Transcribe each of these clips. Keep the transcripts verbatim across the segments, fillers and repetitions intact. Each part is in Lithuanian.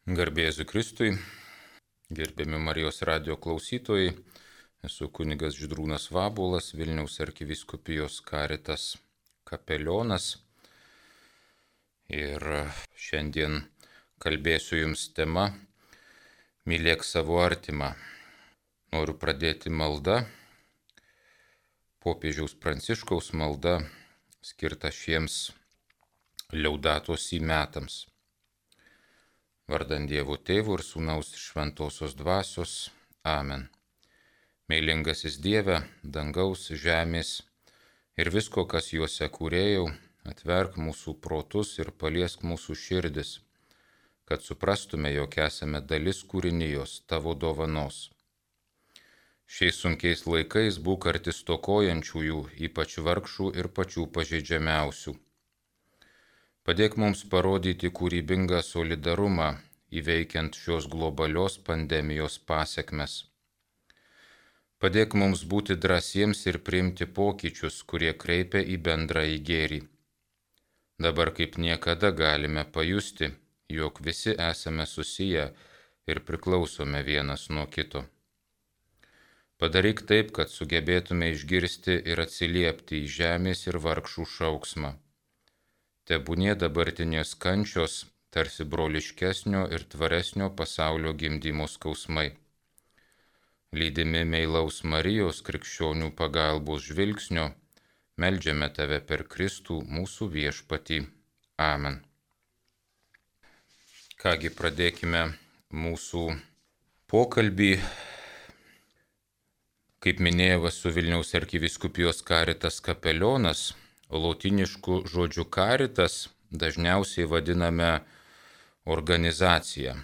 Garbė Jėzui Kristui, gerbiami Marijos radijo klausytojai, esu kunigas Žydrūnas Vabuolas, Vilniaus arkivyskupijos Caritas kapelionas ir šiandien kalbėsiu jums tema Mylėk savo artimą. Noriu pradėti malda, popiežiaus Pranciškaus malda skirta šiems Liaudato Si metams. Vardant Dievo Tėvo ir Sūnaus ir Šventosios Dvasios. Amen. Meilingasis Dieve, dangaus, žemės ir visko, kas juose kūrėjau, atverk mūsų protus ir paliesk mūsų širdis, kad suprastume, jog esame dalis kūrinijos tavo dovanos. Šiais sunkiais laikais būk arti stokojančiųjų, ypač vargšų ir pačių pažeidžiamiausių. Padėk mums parodyti kūrybingą solidarumą, įveikiant šios globalios pandemijos pasekmes. Padėk mums būti drąsiems ir priimti pokyčius, kurie kreipia į bendrąjį gėrį. Dabar kaip niekada galime pajusti, jog visi esame susiję ir priklausome vienas nuo kito. Padaryk taip, kad sugebėtume išgirsti ir atsiliepti į žemės ir vargšų šauksmą. Tebūnie dabartinės kančios tarsi broliškesnio ir tvaresnio pasaulio gimdymo skausmai. Lydimi meilaus Marijos krikščionių pagalbos žvilgsnio, meldžiame tave per Kristų mūsų viešpatį. Amen. Kągi, pradėkime mūsų pokalbį. Kaip minėjau, esu Vilniaus arkivyskupijos Caritas kapelionas. Lotynišku žodžiu Caritas dažniausiai vadiname organizaciją.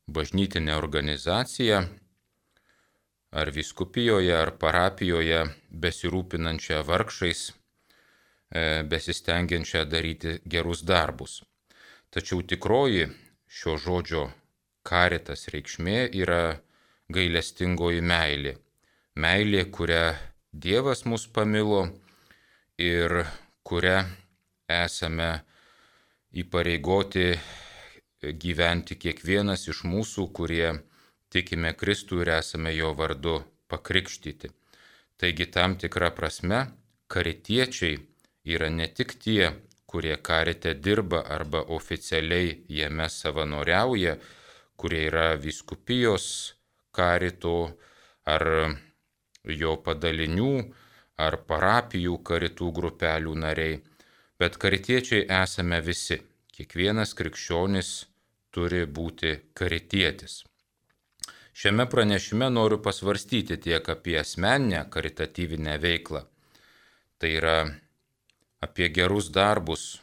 Bažnytinė organizacija ar vyskupijoje, ar parapijoje besirūpinančią vargšais, besistengiančią daryti gerus darbus. Tačiau tikroji šio žodžio Caritas reikšmė yra gailestingoji meilė. Meilė, kurią Dievas mus pamilo ir kurią esame įpareigoti gyventi kiekvienas iš mūsų, kurie tikime Kristų ir esame jo vardu pakrikštyti. Taigi tam tikra prasme karitiečiai yra ne tik tie, kurie karite dirba arba oficialiai jame savanoriauja, kurie yra vyskupijos karito ar jo padalinių ar parapijų karitų grupelių nariai, bet karitiečiai esame visi. Kiekvienas krikščionis turi būti karitietis. Šiame pranešime noriu pasvarstyti tiek apie asmeninę karitatyvinę veiklą, tai yra apie gerus darbus,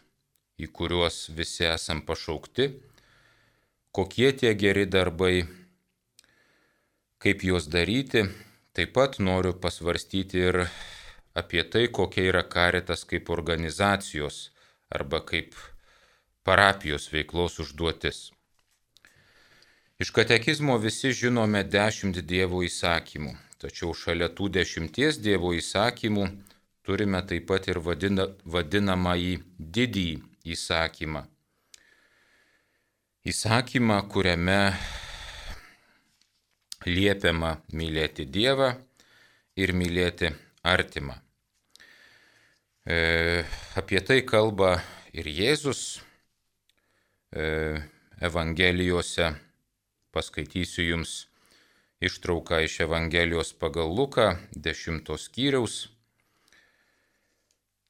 į kuriuos visi esam pašaukti, kokie tie geri darbai, kaip juos daryti. Taip pat noriu pasvarstyti ir apie tai, kokia yra Caritas kaip organizacijos arba kaip parapijos veiklos užduotis. Iš katekizmo visi žinome dešimt Dievo įsakymų, tačiau šalia tų dešimties Dievo įsakymų turime taip pat ir vadina, vadinamąjį didįjį įsakymą. Įsakymą, kuriame liepiama mylėti Dievą ir mylėti artimą. E, apie tai kalba ir Jėzus e, Evangelijose. Paskaitysiu jums ištrauką iš Evangelijos pagal Luką, dešimtos skyriaus,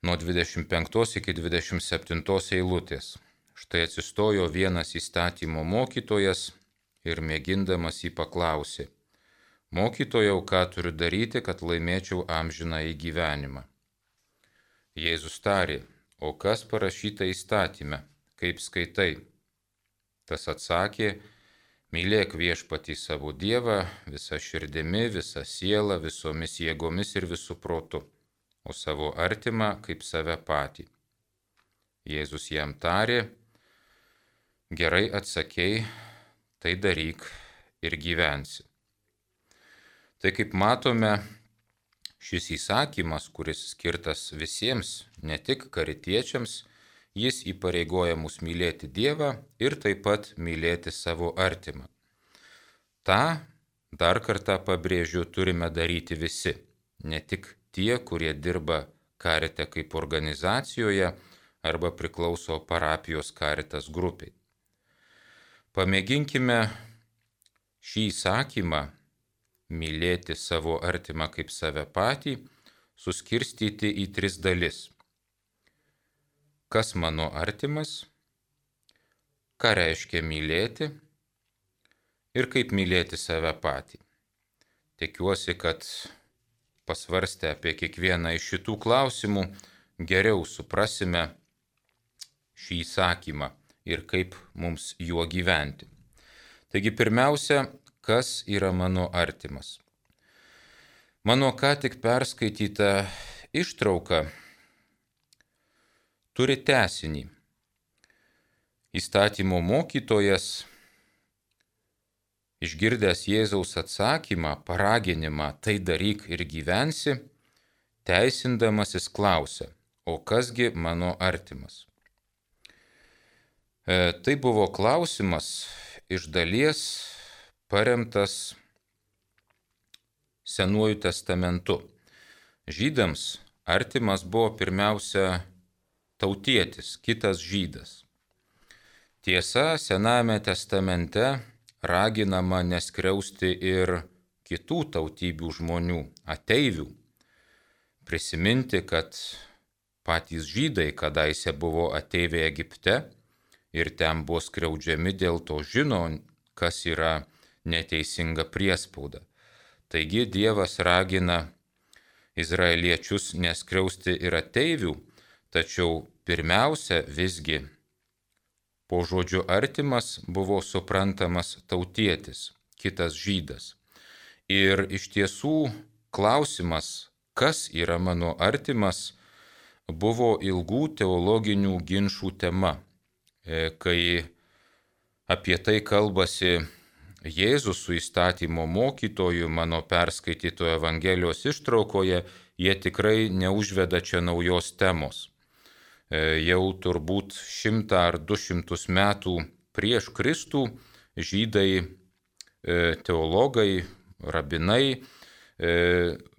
nuo dvidešimt penktos iki dvidešimt septintos eilutės. Štai atsistojo vienas įstatymo mokytojas ir mėgindamas jį paklausė: Mokytojau, ką turiu daryti, kad laimėčiau amžinąjį gyvenimą? Jėzus tarė: O kas parašyta įstatyme, kaip skaitai? Tas atsakė: Mylėk viešpatį savo Dievą visą širdimi, visą sielą, visomis jėgomis ir visų protu, o savo artimą kaip save patį. Jėzus jam tarė: Gerai atsakei, tai daryk ir gyvensi. Tai kaip matome, šis įsakymas, kuris skirtas visiems, ne tik karitiečiams, jis įpareigoja mus mylėti Dievą ir taip pat mylėti savo artimą. Ta, dar kartą pabrėžiu, turime daryti visi, ne tik tie, kurie dirba Karite kaip organizacijoje arba priklauso parapijos Karitas grupiai. Pamėginkime šį įsakymą mylėti savo artimą kaip save patį suskirstyti į tris dalis. Kas mano artimas, ką reiškia mylėti ir kaip mylėti save patį. Tikiuosi, kad pasvarstę apie kiekvieną iš šitų klausimų geriau suprasime šį įsakymą ir kaip mums juo gyventi. Taigi pirmiausia, kas yra mano artimas? Mano ką tik perskaityta ištrauka turi tęsinį. Įstatymo mokytojas, išgirdęs Jėzaus atsakymą, paraginimą, tai daryk ir gyvensi, teisindamasis klausia, o kasgi mano artimas? E, tai buvo klausimas iš dalies paremtas Senuoju testamentu. Žydams artimas buvo pirmiausia tautietis, kitas žydas. Tiesa, Senajame testamente raginama neskriausti ir kitų tautybių žmonių, ateivių. Prisiminti, kad patys žydai kadaise buvo ateiviai Egipte ir ten buvo skriaudžiami, dėl to žino, kas yra neteisinga priespauda. Taigi Dievas ragina izraeliečius neskriausti ir ateivių, tačiau pirmiausia visgi po žodžiu artimas buvo suprantamas tautietis, kitas žydas. Ir iš tiesų klausimas, kas yra mano artimas, buvo ilgų teologinių ginčų tema. Kai apie tai kalbasi Jėzus su įstatymo mokytoju mano perskaitytoje Evangelijos ištraukoje, jie tikrai neužveda čia naujos temos. Jau turbūt šimtą ar du šimtus metų prieš Kristų žydai, teologai, rabinai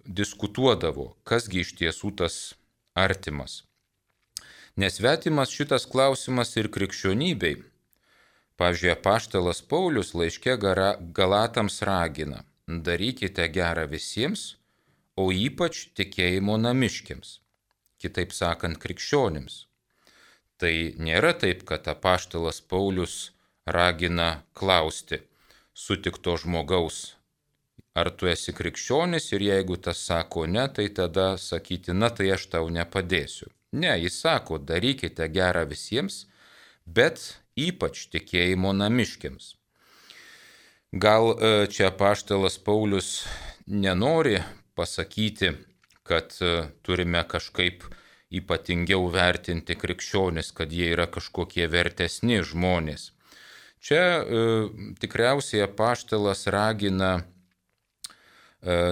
diskutuodavo, kasgi iš tiesų tas artimas. Nesvetimas šitas klausimas ir krikščionybei. Pavyzdžiui, apaštalas Paulius laiške Galatams ragina, darykite gerą visiems, o ypač tikėjimo namiškiams. Kitaip sakant, krikščionims. Tai nėra taip, kad apaštalas Paulius ragina klausti sutikto žmogaus, ar tu esi krikščionis, ir jeigu tas sako ne, tai tada sakyti, na tai aš tau nepadėsiu. Ne, jis sako, darykite gerą visiems, bet ypač tikėjimo namiškiams. Gal čia apaštalas Paulius nenori pasakyti, kad turime kažkaip ypatingiau vertinti krikščionis, kad jie yra kažkokie vertesni žmonės. Čia e, tikriausiai apaštalas ragina e,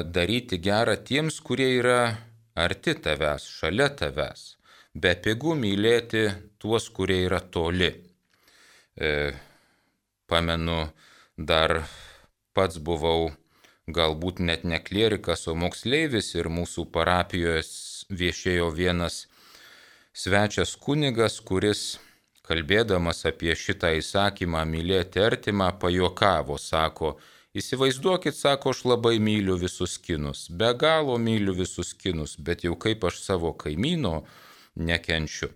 daryti gerą tiems, kurie yra arti tavęs, šalia tavęs, bepigu mylėti tuos, kurie yra toli. E, pamenu, dar pats buvau galbūt net ne klierikas, o moksleivis ir mūsų parapijoje viešėjo vienas svečias kunigas, kuris, kalbėdamas apie šitą įsakymą mylėti artimą, pajuokavo, sako, įsivaizduokit, sako, aš labai myliu visus kinus, be galo myliu visus kinus, bet jau kaip aš savo kaimyno nekenčiu.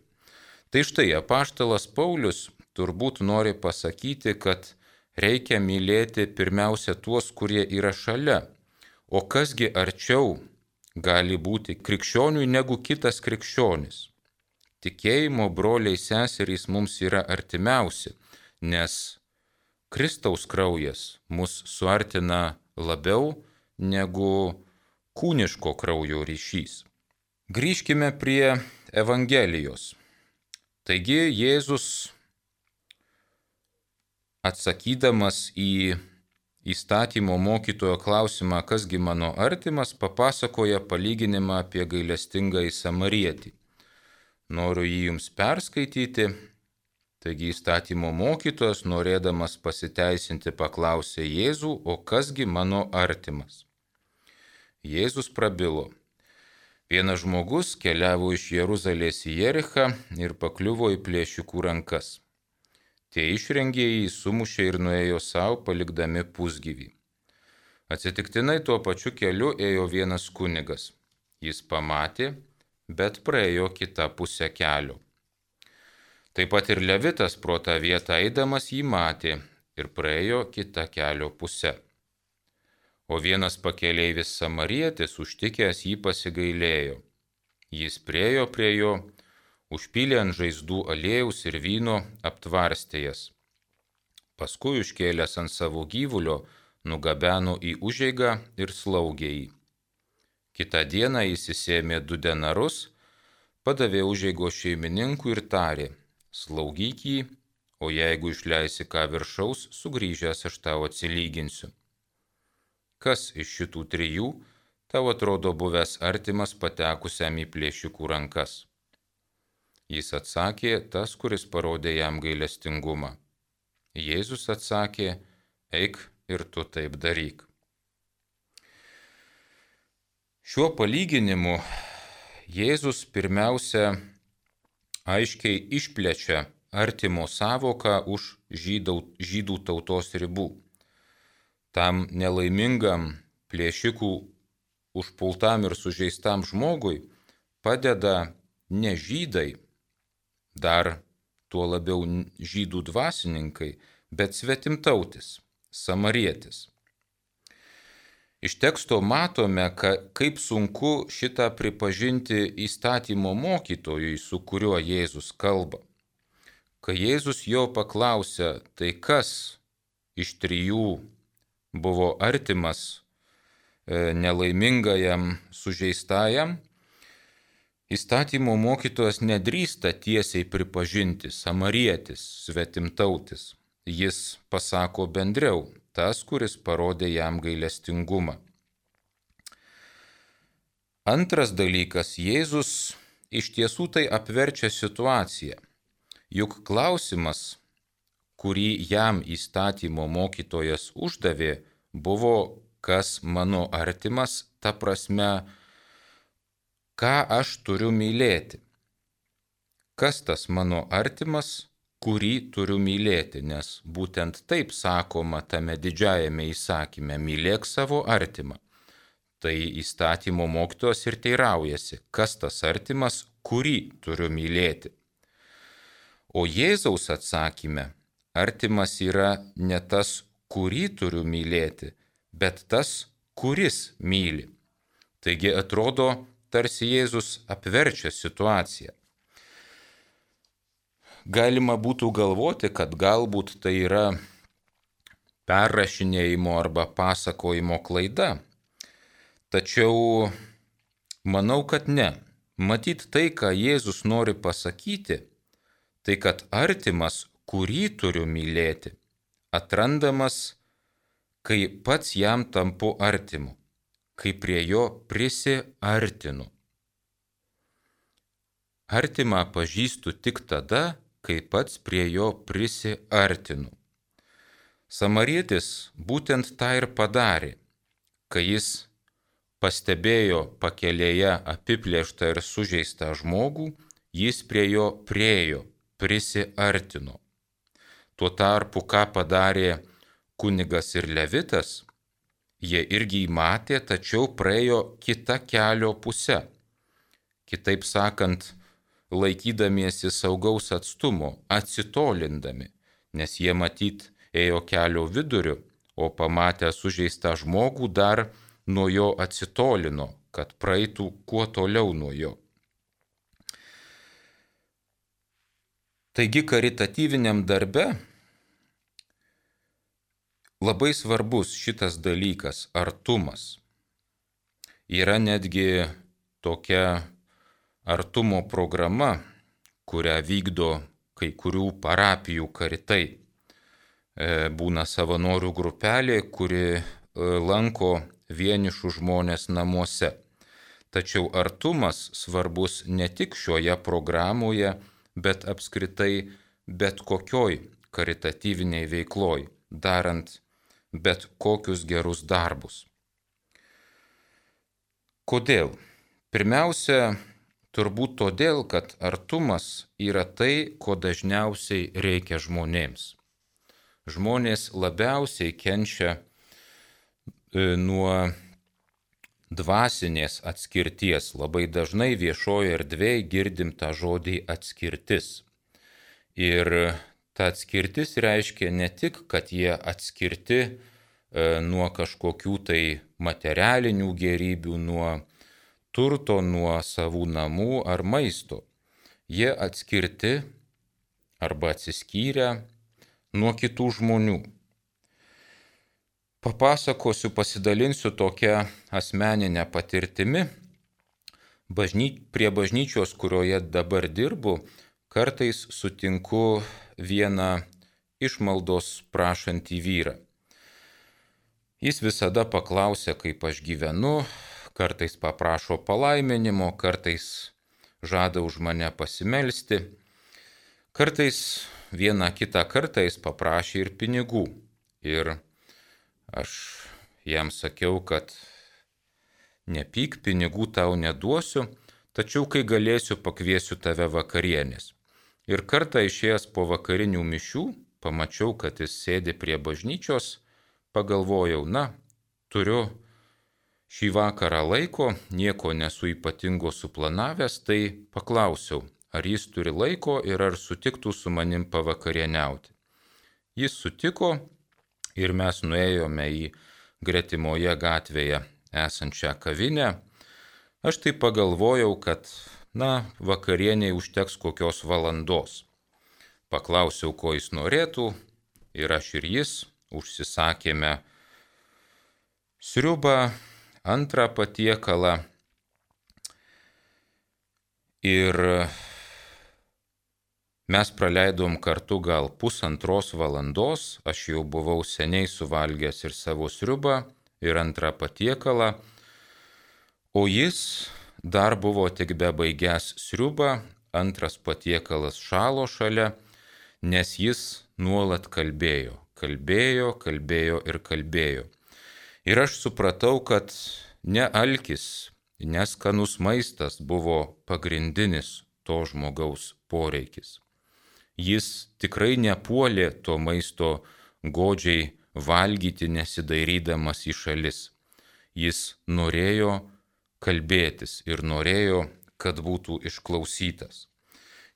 Tai štai apaštalas Paulius turbūt nori pasakyti, kad reikia mylėti pirmiausia tuos, kurie yra šalia. O kasgi arčiau gali būti krikščioniui negu kitas krikščionis? Tikėjimo broliai seserys mums yra artimiausi, nes Kristaus kraujas mus suartina labiau negu kūniško kraujo ryšys. Grįžkime prie Evangelijos. Taigi Jėzus, atsakydamas į įstatymo mokytojo klausimą, kasgi mano artimas, papasakoja palyginimą apie gailestingąjį samarietį. Noriu jį jums perskaityti. Taigi įstatymo mokytojas, norėdamas pasiteisinti, paklausė Jėzų, o kasgi mano artimas? Jėzus prabilo. Vienas žmogus keliavo iš Jeruzalės į Jerichą ir pakliuvo į plėšikų rankas. Tie išrengėjai sumušė ir nuėjo savo, palikdami pusgyvį. Atsitiktinai tuo pačiu keliu ėjo vienas kunigas. Jis pamatė, bet praėjo kitą pusę kelio. Taip pat ir Levitas pro tą vietą eidamas jį matė ir praėjo kitą kelio pusę. O vienas pakeleivis samarietis užtikęs jį pasigailėjo. Jis priėjo prie jo, užpylė ant žaizdų aliejaus ir vyno, aptvarstė jas. Paskui užkėlęs ant savo gyvulio, nugabeno į užeigą ir slaugė jį. Kitą dieną jis įsėmė du denarus, padavė užeigos šeimininkui ir tarė: slaugyk jį, o jeigu išleisi ką viršaus, sugrįžęs aš tau atsilyginsiu. Kas iš šitų trijų tau atrodo buvęs artimas patekusiam į plėšikų rankas? Jis atsakė, tas, kuris parodė jam gailestingumą. Jėzus atsakė, eik ir tu taip daryk. Šiuo palyginimu Jėzus pirmiausia aiškiai išplečia artimo sąvoką už žydų, žydų tautos ribų. Tam nelaimingam plėšikų užpultam ir sužeistam žmogui padeda ne žydai, dar tuo labiau žydų dvasininkai, bet svetimtautis, samarietis. Iš teksto matome, kaip sunku šitą pripažinti įstatymo mokytojui, su kuriuo Jėzus kalba. Kai Jėzus jo paklausė, tai kas iš trijų buvo artimas nelaimingajam sužeistajam, įstatymo mokytojas nedrįsta tiesiai pripažinti samarietis, svetimtautis. Jis pasako bendriau, tas, kuris parodė jam gailestingumą. Antras dalykas, Jėzus iš tiesų tai apverčia situaciją. Juk klausimas, kurį jam įstatymo mokytojas uždavė, buvo, kas mano artimas, ta prasme, ką aš turiu mylėti. Kas tas mano artimas, kurį turiu mylėti, nes būtent taip sakoma tame didžiajame įsakyme, mylėk savo artimą. Tai įstatymo mokytojas ir teiraujasi, kas tas artimas, kurį turiu mylėti. O Jėzaus atsakyme, artimas yra ne tas, kurį turiu mylėti, bet tas, kuris myli. Taigi atrodo, tarsi Jėzus apverčia situaciją. Galima būtų galvoti, kad galbūt tai yra perrašinėjimo arba pasakojimo klaida. Tačiau manau, kad ne. Matyt tai, ką Jėzus nori pasakyti, tai kad artimas, kurį turiu mylėti, atrandamas, kai pats jam tampu artimu, kai prie jo prisiartinu. Artimą pažįstu tik tada, kai pats prie jo prisiartinu. Samarietis būtent tą ir padarė, kai jis pastebėjo pakelėje apiplėštą ir sužeistą žmogų, jis prie jo priėjo, prisiartino. Tuo tarpu, ką padarė kunigas ir Levitas, jie irgi matė, tačiau praėjo kitą kelio pusę. Kitaip sakant, laikydamiesi saugaus atstumo, atsitolindami, nes jie matyt ėjo kelio viduriu, o pamatę sužeistą žmogų dar nuo jo atsitolino, kad praeitų kuo toliau nuo jo. Taigi karitatyviniam darbe labai svarbus šitas dalykas – artumas. Yra netgi tokia artumo programa, kurią vykdo kai kurių parapijų karitai. Būna savanorių grupelė, kuri lanko vienišų žmonės namuose. Tačiau artumas svarbus ne tik šioje programoje, bet apskritai bet kokioj karitatyviniai veikloj, darant bet kokius gerus darbus. Kodėl? Pirmiausia, turbūt todėl, kad artumas yra tai, ko dažniausiai reikia žmonėms. Žmonės labiausiai kenčia nuo dvasinės atskirties. Labai dažnai viešoje erdvėje girdim tą žodį atskirtis. Ir ta atskirtis reiškia ne tik, kad jie atskirti nuo kažkokių tai materialinių gėrybių, nuo turto, nuo savų namų ar maisto. Jie atskirti arba atsiskyrę nuo kitų žmonių. Papasakosiu, pasidalinsiu tokią asmeninę patirtimi. Bažny... Prie bažnyčios, kurioje dabar dirbu, kartais sutinku vieną išmaldos prašantį vyrą. Jis visada paklausia, kaip aš gyvenu, kartais paprašo palaiminimo, kartais žada už mane pasimelsti. Kartais vieną kitą kartą jis paprašė ir pinigų. Ir aš jam sakiau, kad nepyk, pinigų tau neduosiu, tačiau kai galėsiu, pakviesiu tave vakarienės. Ir kartą išėjęs po vakarinių mišių, pamačiau, kad jis sėdi prie bažnyčios, pagalvojau, na, turiu šį vakarą laiko, nieko nesu ypatingo suplanavęs, tai paklausiau, ar jis turi laiko ir ar sutiktų su manim pavakarieniauti. Jis sutiko ir mes nuėjome į gretimoje gatvėje esančią kavinę. Aš tai pagalvojau, kad, na, vakarieniai užteks kokios valandos. Paklausiau, ko jis norėtų, ir aš ir jis užsisakėme sriubą, antrą patiekalą. Ir mes praleidom kartu gal pusantros valandos, aš jau buvau seniai suvalgęs ir savo sriubą, ir antrą patiekalą, o jis dar buvo tik bebaigęs sriubą, antras patiekalas šalo šalia, nes jis nuolat kalbėjo, kalbėjo, kalbėjo ir kalbėjo. Ir aš supratau, kad ne alkis, neskanus maistas buvo pagrindinis to žmogaus poreikis. Jis tikrai nepuolė to maisto godžiai valgyti, nesidairydamas į šalis. Jis norėjo kalbėtis ir norėjo, kad būtų išklausytas.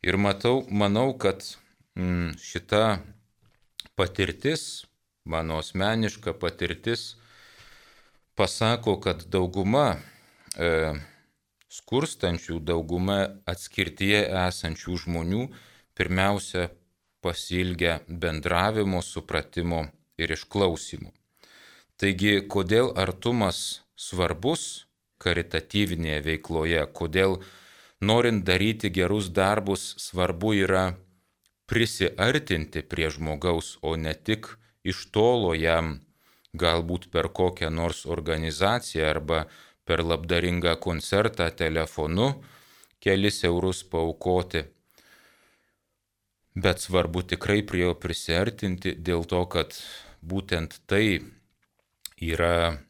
Ir matau, manau, kad mm, šita patirtis, mano asmeniška patirtis, pasako, kad dauguma e, skurstančių, dauguma atskirtyje esančių žmonių pirmiausia pasilgia bendravimo, supratimo ir išklausimo. Taigi, kodėl artumas svarbus karitatyvinėje veikloje, kodėl norint daryti gerus darbus svarbu yra prisiartinti prie žmogaus, o ne tik iš tolo jam galbūt per kokią nors organizaciją arba per labdaringą koncertą telefonu kelis eurus paaukoti. Bet svarbu tikrai prie jo prisiartinti dėl to, kad būtent tai yra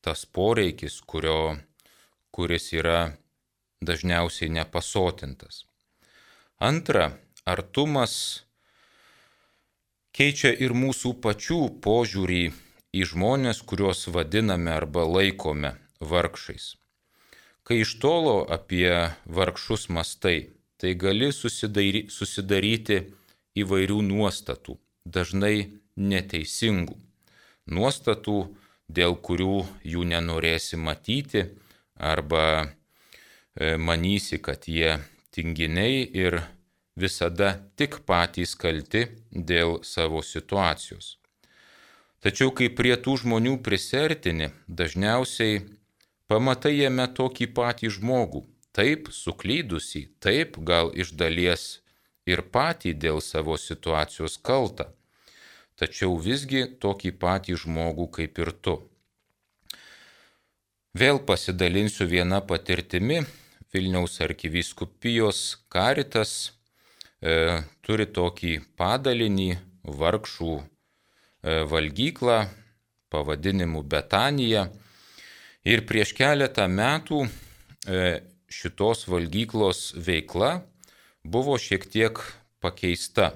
tas poreikis, kurio, kuris yra dažniausiai nepasotintas. Antra, artumas keičia ir mūsų pačių požiūrį į žmonės, kuriuos vadiname arba laikome vargšais. Kai iš tolo apie vargšus mastai, tai gali susidaryti, susidaryti įvairių nuostatų, dažnai neteisingų. Nuostatų, dėl kurių jų nenorėsi matyti arba e, manysi, kad jie tinginiai ir visada tik patys kalti dėl savo situacijos. Tačiau kai prie tų žmonių prisiartini, dažniausiai pamatai jame tokį patį žmogų, taip suklydusį, taip gal iš dalies ir patį dėl savo situacijos kaltą, tačiau visgi tokį patį žmogų kaip ir tu. Vėl pasidalinsiu vieną patirtimi. Vilniaus arkivyskupijos Karitas e, turi tokį padalinį vargšų e, valgyklą pavadinimu Betanija. Ir prieš keletą metų e, šitos valgyklos veikla buvo šiek tiek pakeista.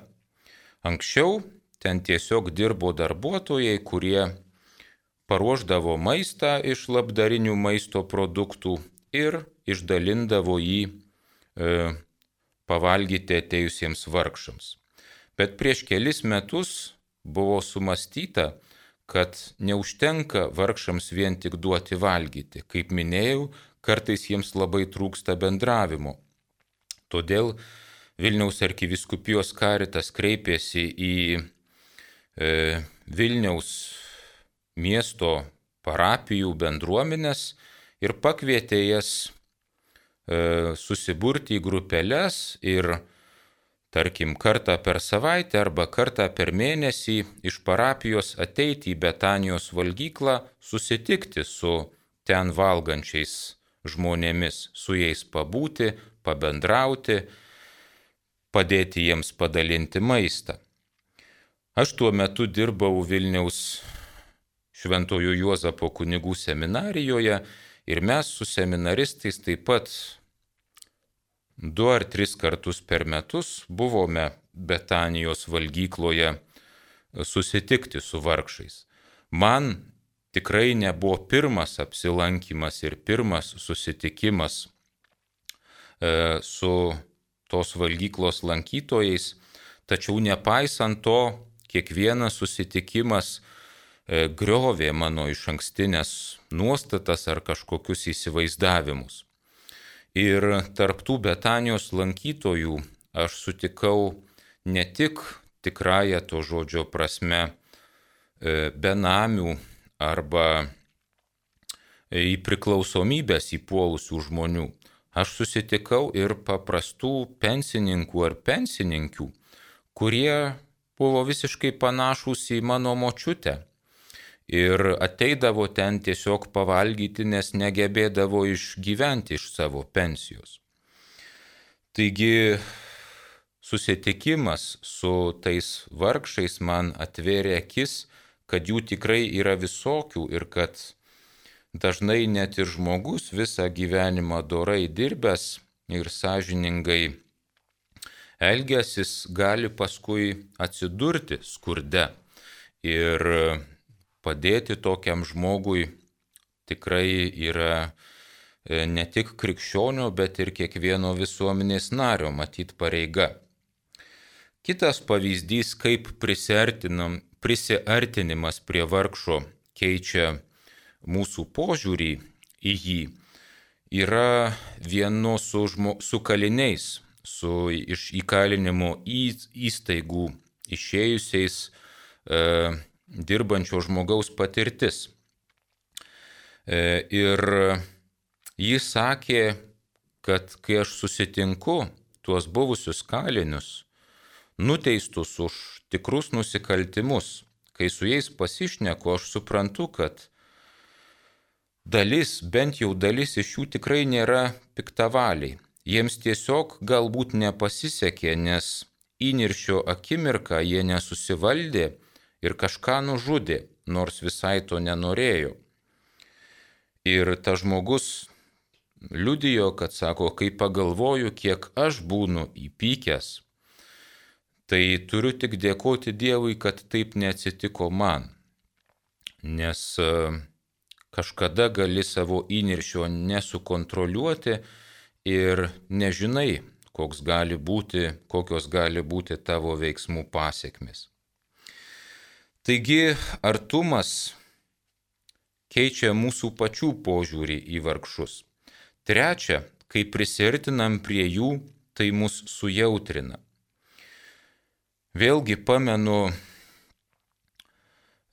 Anksčiau ten tiesiog dirbo darbuotojai, kurie paruošdavo maistą iš labdarinių maisto produktų ir išdalindavo jį e, pavalgyti atėjusiems vargšams. Bet prieš kelis metus buvo sumastyta, kad neužtenka vargšams vien tik duoti valgyti. Kaip minėjau, kartais jiems labai trūksta bendravimo. Todėl Vilniaus arkivyskupijos Karitas kreipėsi į e, Vilniaus miesto parapijų bendruomenės ir pakvietė jas e, susiburti į grupeles ir, tarkim, kartą per savaitę arba kartą per mėnesį iš parapijos ateiti į Betanijos valgyklą, susitikti su ten valgančiais žmonėmis, su jais pabūti, pabendrauti, padėti jiems padalinti maistą. Aš tuo metu dirbau Vilniaus Šventojo Juozapo kunigų seminarijoje ir mes su seminaristais taip pat du ar tris kartus per metus buvome Betanijos valgykloje susitikti su vargšais. Man tikrai nebuvo pirmas apsilankimas ir pirmas susitikimas e, su tos valgyklos lankytojais, tačiau nepaisant to, kiekvienas susitikimas griovė mano išankstinės nuostatas ar kažkokius įsivaizdavimus. Ir tarptų Betanijos lankytojų aš sutikau ne tik tikrąją to žodžio prasme benamių arba į priklausomybės įpuolusių žmonių. Aš susitikau ir paprastų pensininkų ar pensininkių, kurie buvo visiškai panašūs į mano močiutę. Ir ateidavo ten tiesiog pavalgyti, nes negebėdavo išgyventi iš savo pensijos. Taigi susitikimas su tais vargšais man atvėrė akis, kad jų tikrai yra visokių ir kad dažnai net ir žmogus visą gyvenimą dorai dirbęs ir sąžiningai elgęsis gali paskui atsidurti skurde. Ir padėti tokiam žmogui tikrai yra ne tik krikščionio, bet ir kiekvieno visuomenės nario matyt pareiga. Kitas pavyzdys, kaip prisiartinimas prie vargšo keičia mūsų požiūrį į jį, yra vieno su, žmo, su kaliniais, su iš įkalinimo įstaigų išėjusiais e, dirbančio žmogaus patirtis. E, ir jis sakė, kad kai aš susitinku tuos buvusius kalinius, nuteistus už tikrus nusikaltimus, kai su jais pasišneku, aš suprantu, kad dalis, bent jau dalis iš jų tikrai nėra piktavaliai. Jiems tiesiog galbūt nepasisekė, nes įniršio akimirką jie nesusivaldė ir kažką nužudė, nors visai to nenorėjo. Ir tas žmogus liudijo, kad sako, kai pagalvoju, kiek aš būnu įpykęs, tai turiu tik dėkoti Dievui, kad taip neatsitiko man. Nes kažkada gali savo įniršio nesukontroliuoti ir nežinai, koks gali būti, kokios gali būti tavo veiksmų pasekmės. Taigi artumas keičia mūsų pačių požiūrį į vargšus. Trečia, kai prisiartinam prie jų, tai mus sujautrina. Vėlgi pamenu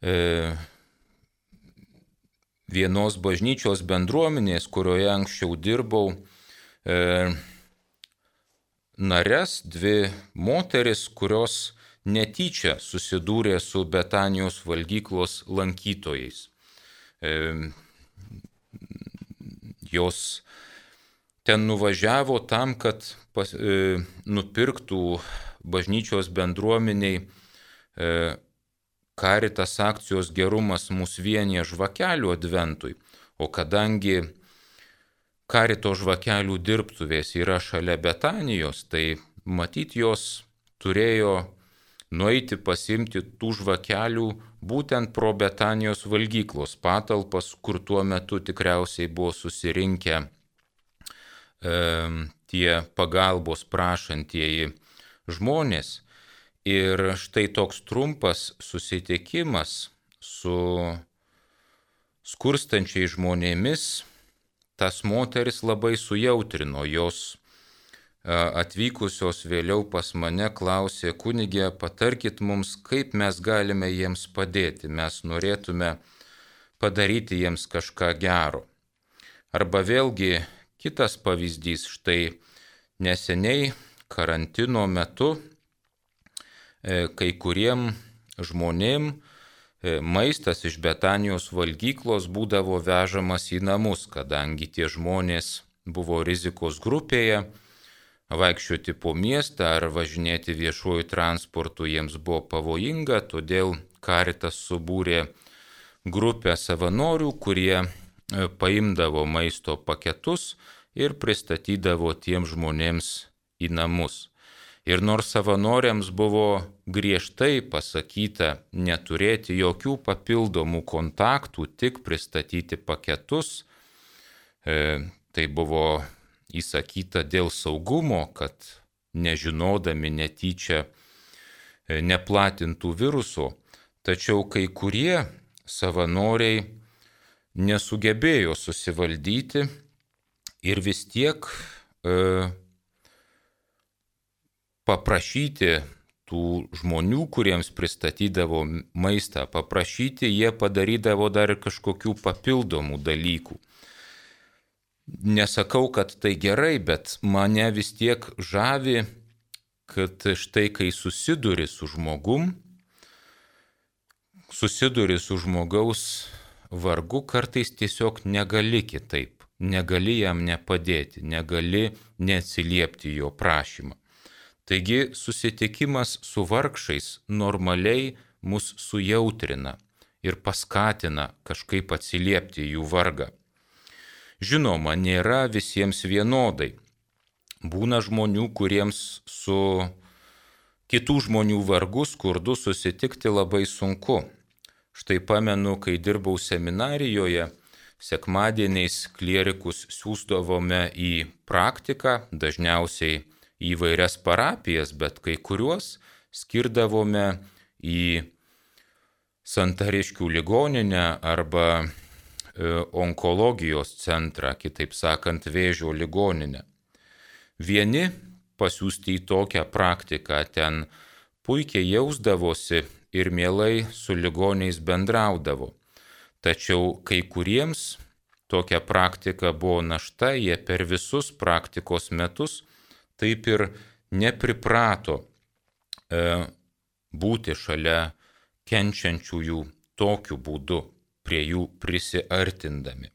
e, vienos bažnyčios bendruomenės, kurioje anksčiau dirbau, e, nares, dvi moteris, kurios netyčia susidūrė su Betanijos valgyklos lankytojais. E, Jos ten nuvažiavo tam, kad pas, e, nupirktų bažnyčios bendruomeniai e, Caritas akcijos Gerumas mus vienija žvakelių adventui, o kadangi Carito žvakelių dirbtuvės yra šalia Betanijos, tai matyt jos turėjo nueiti pasimti tų žvakelių būtent pro Betanijos valgyklos patalpas, kur tuo metu tikriausiai buvo susirinkę e, tie pagalbos prašantieji žmonės. Ir štai toks trumpas susitikimas su skurstančiais žmonėmis tas moteris labai sujautrino. Jos atvykusios vėliau pas mane klausė: kunigė, patarkit mums, kaip mes galime jiems padėti, mes norėtume padaryti jiems kažką gero. Arba vėlgi kitas pavyzdys, štai neseniai karantino metu kai kuriem žmonėm maistas iš Betanijos valgyklos būdavo vežamas į namus, kadangi tie žmonės buvo rizikos grupėje, vaikščioti po miestą ar važinėti viešuoju transportu jiems buvo pavojinga, todėl Caritas subūrė grupę savanorių, kurie paimdavo maisto paketus ir pristatydavo tiem žmonėms į namus. Ir nors savanoriams buvo griežtai pasakyta neturėti jokių papildomų kontaktų, tik pristatyti paketus, e, tai buvo įsakyta dėl saugumo, kad nežinodami netyčia e, neplatintų viruso, tačiau kai kurie savanoriai nesugebėjo susivaldyti ir vis tiek e, paprašyti tų žmonių, kuriems pristatydavo maistą, paprašyti, jie padarydavo dar kažkokių papildomų dalykų. Nesakau, kad tai gerai, bet mane vis tiek žavi, kad štai kai susiduri su žmogum, susiduri su žmogaus vargu, kartais tiesiog negali kitaip, negali jam nepadėti, negali neatsiliepti jo prašymą. Taigi susitikimas su vargšais normaliai mus sujautrina ir paskatina kažkaip atsiliepti jų vargą. Žinoma, nėra visiems vienodai. Būna žmonių, kuriems su kitų žmonių vargu, skurdu susitikti labai sunku. Štai pamenu, kai dirbau seminarijoje, sekmadieniais klierikus siųsdavome į praktiką, dažniausiai įvairias parapijas, bet kai kuriuos skirdavome į Santariškių ligoninę arba e, onkologijos centrą, kitaip sakant, vėžio ligoninę. Vieni pasiųsti į tokią praktiką ten puikiai jausdavosi ir mielai su ligoniais bendraudavo. Tačiau kai kuriems tokia praktika buvo našta, jie per visus praktikos metus taip ir nepriprato e, būti šalia kenčiančiųjų tokiu būdu, prie jų prisiartindami.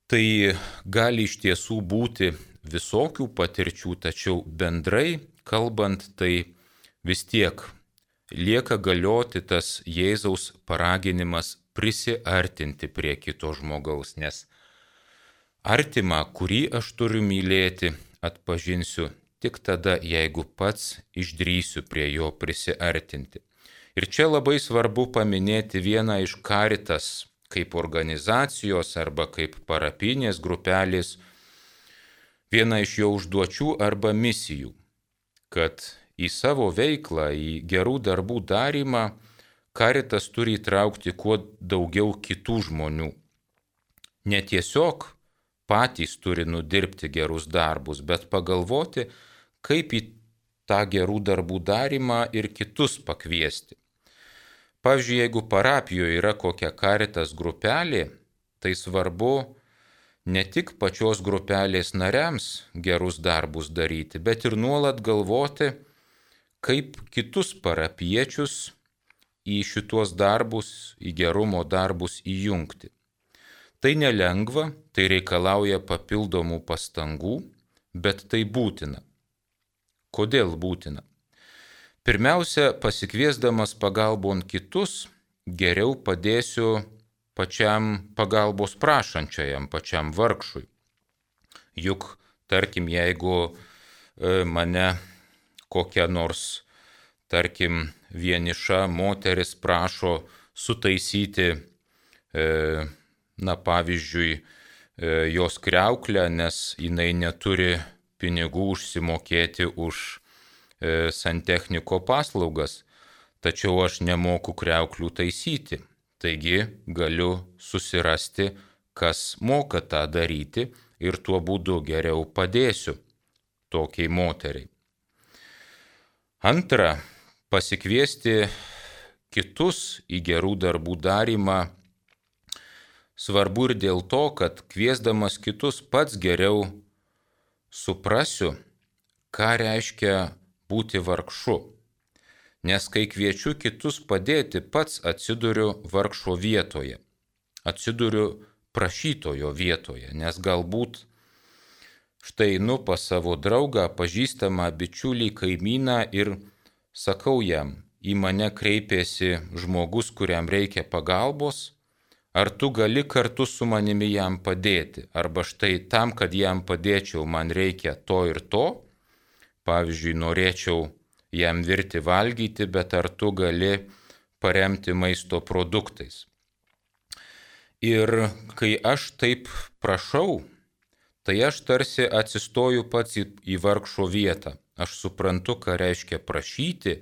Tai gali iš tiesų būti visokių patirčių, tačiau bendrai kalbant, tai vis tiek lieka galioti tas Jėzaus paraginimas prisiartinti prie kito žmogaus, nes artimą, kurį aš turiu mylėti, atpažinsiu tik tada, jeigu pats išdrįsiu prie jo prisiartinti. Ir čia labai svarbu paminėti vieną iš Caritas kaip organizacijos arba kaip parapinės grupelės, vieną iš jo užduočių arba misijų, kad į savo veiklą, į gerų darbų darymą Caritas turi įtraukti kuo daugiau kitų žmonių. Ne tiesiog patys turi nudirbti gerus darbus, bet pagalvoti, kaip į tą gerų darbų darymą ir kitus pakviesti. Pavyzdžiui, jeigu parapijoje yra kokia Caritas grupelė, tai svarbu ne tik pačios grupelės nariams gerus darbus daryti, bet ir nuolat galvoti, kaip kitus parapiečius į šituos darbus, į gerumo darbus įjungti. Tai nelengva, tai reikalauja papildomų pastangų, bet tai būtina. Kodėl būtina? Pirmiausia, pasikviesdamas pagalbon kitus, geriau padėsiu pačiam pagalbos prašančiajam, pačiam vargšui. Juk, tarkim, jeigu mane kokia nors, tarkim, vieniša moteris prašo sutaisyti, na pavyzdžiui, jos kriauklę, nes jinai neturi pinigų užsimokėti už santechniko paslaugas, tačiau aš nemoku kriauklių taisyti. Taigi galiu susirasti, kas moka tą daryti ir tuo būdu geriau padėsiu tokiai moteriai. Antra, pasikviesti kitus į gerų darbų darymą svarbu ir dėl to, kad kviesdamas kitus pats geriau suprasiu, ką reiškia būti vargšu. Nes kai kviečiu kitus padėti, pats atsiduriu vargšo vietoje, atsiduriu prašytojo vietoje, nes galbūt štai einu pas savo draugą, pažįstamą bičiulį, kaimyną ir sakau jam, į mane kreipėsi žmogus, kuriam reikia pagalbos, ar tu gali kartu su manimi jam padėti, arba štai tam, kad jam padėčiau, man reikia to ir to, pavyzdžiui, norėčiau jam virti valgyti, bet ar tu gali paremti maisto produktais. Ir kai aš taip prašau, tai aš tarsi atsistoju pats į, į vargšo vietą. Aš suprantu, ką reiškia prašyti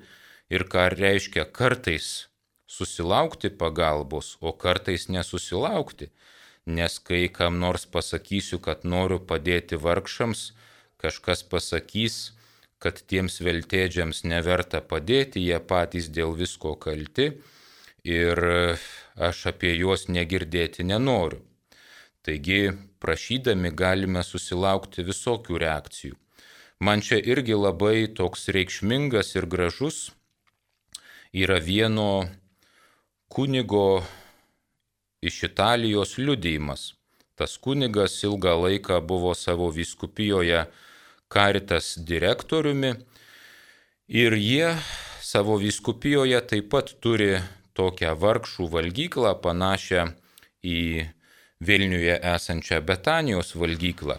ir ką reiškia kartais susilaukti pagalbos, o kartais nesusilaukti. Nes kai kam nors pasakysiu, kad noriu padėti vargšams, kažkas pasakys, kad tiems veltėdžiams neverta padėti, jie patys dėl visko kalti ir aš apie juos negirdėti nenoriu. Taigi, prašydami galime susilaukti visokių reakcijų. Man čia irgi labai toks reikšmingas ir gražus yra vieno kunigo iš Italijos liudijimas. Tas kunigas ilgą laiką buvo savo vyskupijoje Caritas direktoriumi ir jie savo vyskupijoje taip pat turi tokią vargšų valgyklą panašią į Vilniuje esančią Betanijos valgyklą.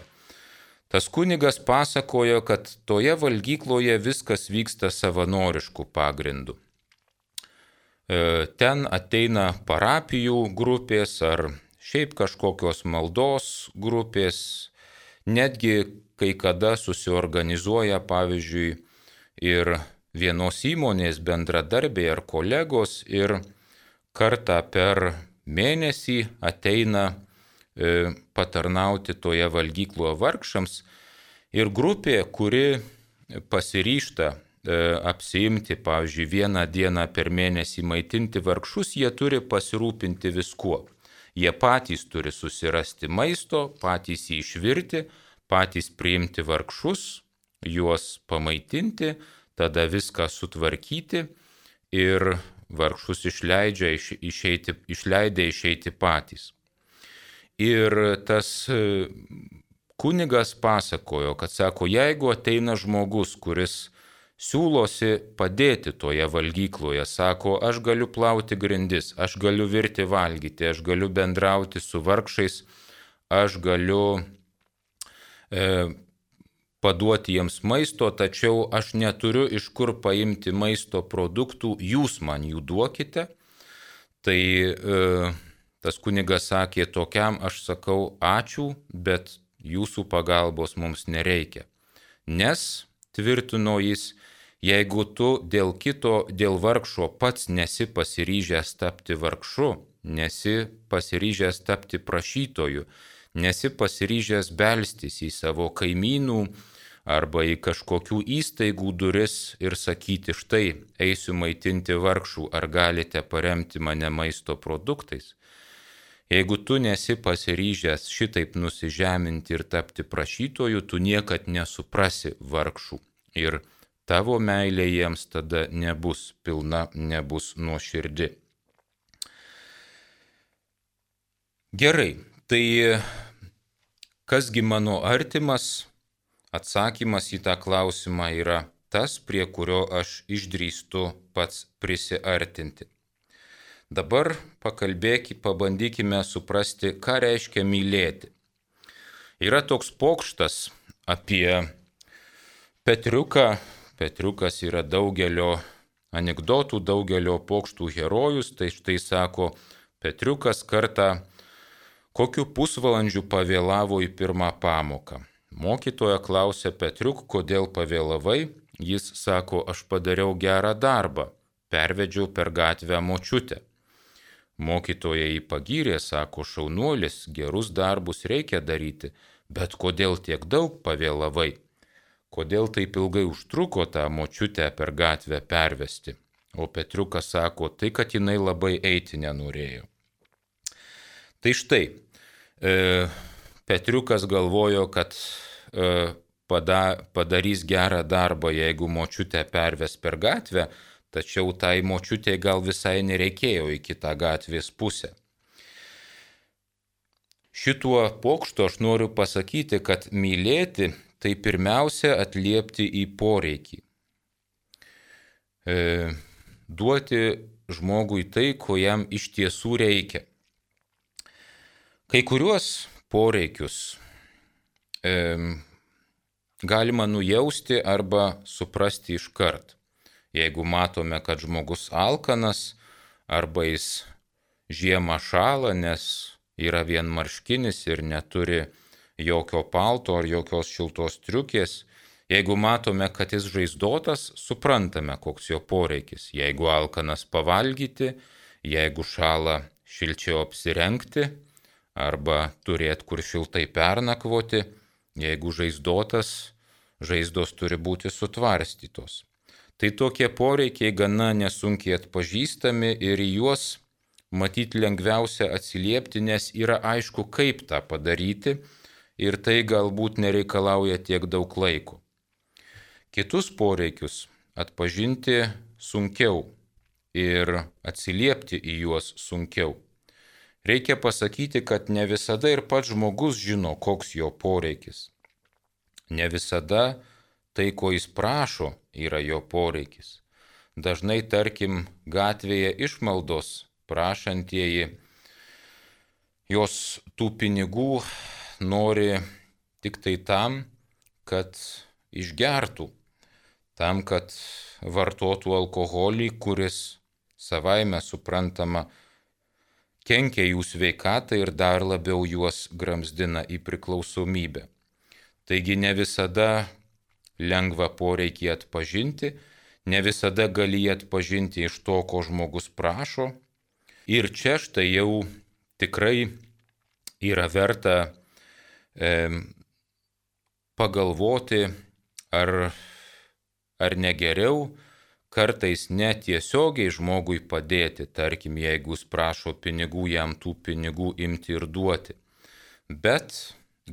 Tas kunigas pasakojo, kad toje valgykloje viskas vyksta savanoriškų pagrindų. Ten ateina parapijų grupės ar šiaip kažkokios maldos grupės, netgi kai kada susiorganizuoja, pavyzdžiui, ir vienos įmonės bendradarbiai ar kolegos ir kartą per mėnesį ateina e, patarnauti toje valgykloje vargšams ir grupė, kuri pasiryžta e, apsiimti, pavyzdžiui, vieną dieną per mėnesį maitinti vargšus, jie turi pasirūpinti viskuo. Jie patys turi susirasti maisto, patys jį išvirti, patys priimti vargšus, juos pamaitinti, tada viską sutvarkyti ir vargšus išleidžia išeiti, išleidę išeiti patys. Ir tas kunigas pasakojo, kad sako, jeigu ateina žmogus, kuris siūlosi padėti toje valgykloje, sako, aš galiu plauti grindis, aš galiu virti valgyti, aš galiu bendrauti su vargšais, aš galiu e, paduoti jiems maisto, tačiau aš neturiu iš kur paimti maisto produktų, jūs man jų duokite. Tai e, tas kunigas sakė, tokiam aš sakau ačiū, bet jūsų pagalbos mums nereikia. Nes, tvirtino jis, jeigu tu dėl kito, dėl vargšo pats nesi pasiryžęs tapti vargšu, nesi pasiryžęs tapti prašytoju, nesi pasiryžęs belstis į savo kaimynų arba į kažkokių įstaigų duris ir sakyti, štai, eisiu maitinti vargšų, ar galite paremti mane maisto produktais. Jeigu tu nesi pasiryžęs šitaip nusižeminti ir tapti prašytoju, tu niekad nesuprasi vargšų ir tavo meilė jiems tada nebus pilna, nebus nuoširdi. Gerai, Tai kasgi mano artimas? Atsakymas į tą klausimą yra tas, prie kurio aš išdrįstu pats prisiartinti. Dabar pakalbėkime, pabandykime suprasti, ką reiškia mylėti. Yra toks pokštas apie Petriuką. Petriukas yra daugelio anekdotų, daugelio pokštų herojus. Tai štai sako, Petriukas kartą kokiu pusvalandžiu pavėlavo į pirmą pamoką. Mokytoja klausė Petriuk, kodėl pavėlavai. Jis sako, aš padariau gerą darbą, pervedžiau per gatvę močiutę. Mokytoja jį pagyrė, sako, šaunuolis, gerus darbus reikia daryti, bet kodėl tiek daug pavėlavai? Kodėl taip ilgai užtruko tą močiutę per gatvę pervesti? O Petriukas sako, tai kad jinai labai eiti nenorėjo. Tai štai, e, Petriukas galvojo, kad e, pada, padarys gerą darbą, jeigu močiutę perves per gatvę, tačiau tai močiutė gal visai nereikėjo į kitą gatvės pusę. Šituo pokštu aš noriu pasakyti, kad mylėti tai pirmiausia atliepti į poreikį. E, duoti žmogui tai, ko jam iš tiesų reikia. Kai kuriuos poreikius e, galima nujausti arba suprasti iškart. Jeigu matome, kad žmogus alkanas arba jis žiemą šąla, nes yra vienmarškinis ir neturi jokio palto ar jokios šiltos striukės. Jeigu matome, kad jis žaizdotas, suprantame, koks jo poreikis. Jeigu alkanas pavalgyti, jeigu šąla šilčiau apsirengti arba turėti kur šiltai pernakvoti, jeigu žaizdotas, žaizdos turi būti sutvarstytos. Tai tokie poreikiai gana nesunkiai atpažįstami ir į juos matyti lengviausia atsiliepti, nes yra aišku, kaip tą padaryti ir tai galbūt nereikalauja tiek daug laiko. Kitus poreikius atpažinti sunkiau ir atsiliepti į juos sunkiau. Reikia pasakyti, kad ne visada ir pats žmogus žino, koks jo poreikis. Ne visada tai, ko jis prašo, yra jo poreikis. Dažnai, tarkim, gatvėje išmaldos prašantieji, jos tų pinigų nori tik tai tam, kad išgertų, tam, kad vartotų alkoholį, kuris savaime suprantama kenkia jų sveikatai ir dar labiau juos gramzdina į priklausomybę. Taigi ne visada lengva poreikį atpažinti, ne visada gali atpažinti iš to, ko žmogus prašo. Ir čia štai jau tikrai yra verta e, pagalvoti, ar, ar negeriau kartais netiesiogiai žmogui padėti, tarkim, jeigu jis prašo pinigų, jam tų pinigų imti ir duoti, bet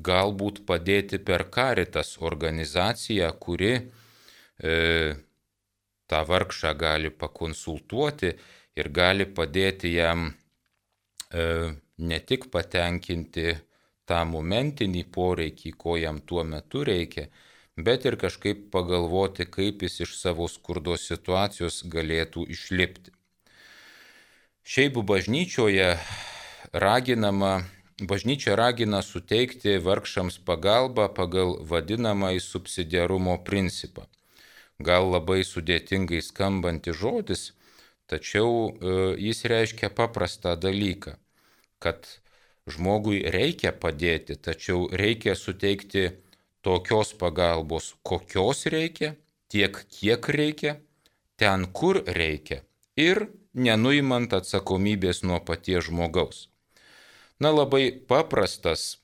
galbūt padėti per Caritas organizaciją, kuri e, tą vargšą gali pakonsultuoti ir gali padėti jam e, ne tik patenkinti tą momentinį poreikį, ko jam tuo metu reikia, bet ir kažkaip pagalvoti, kaip jis iš savo skurdos situacijos galėtų išlipti. Šiaip bažnyčioje raginama, bažnyčia ragina suteikti vargšams pagalbą pagal vadinamąjį subsidiarumo principą. Gal labai sudėtingai skambanti žodis, tačiau jis reiškia paprastą dalyką, kad žmogui reikia padėti, tačiau reikia suteikti tokios pagalbos, kokios reikia, tiek kiek reikia, ten kur reikia ir nenuimant atsakomybės nuo paties žmogaus. Na, labai paprastas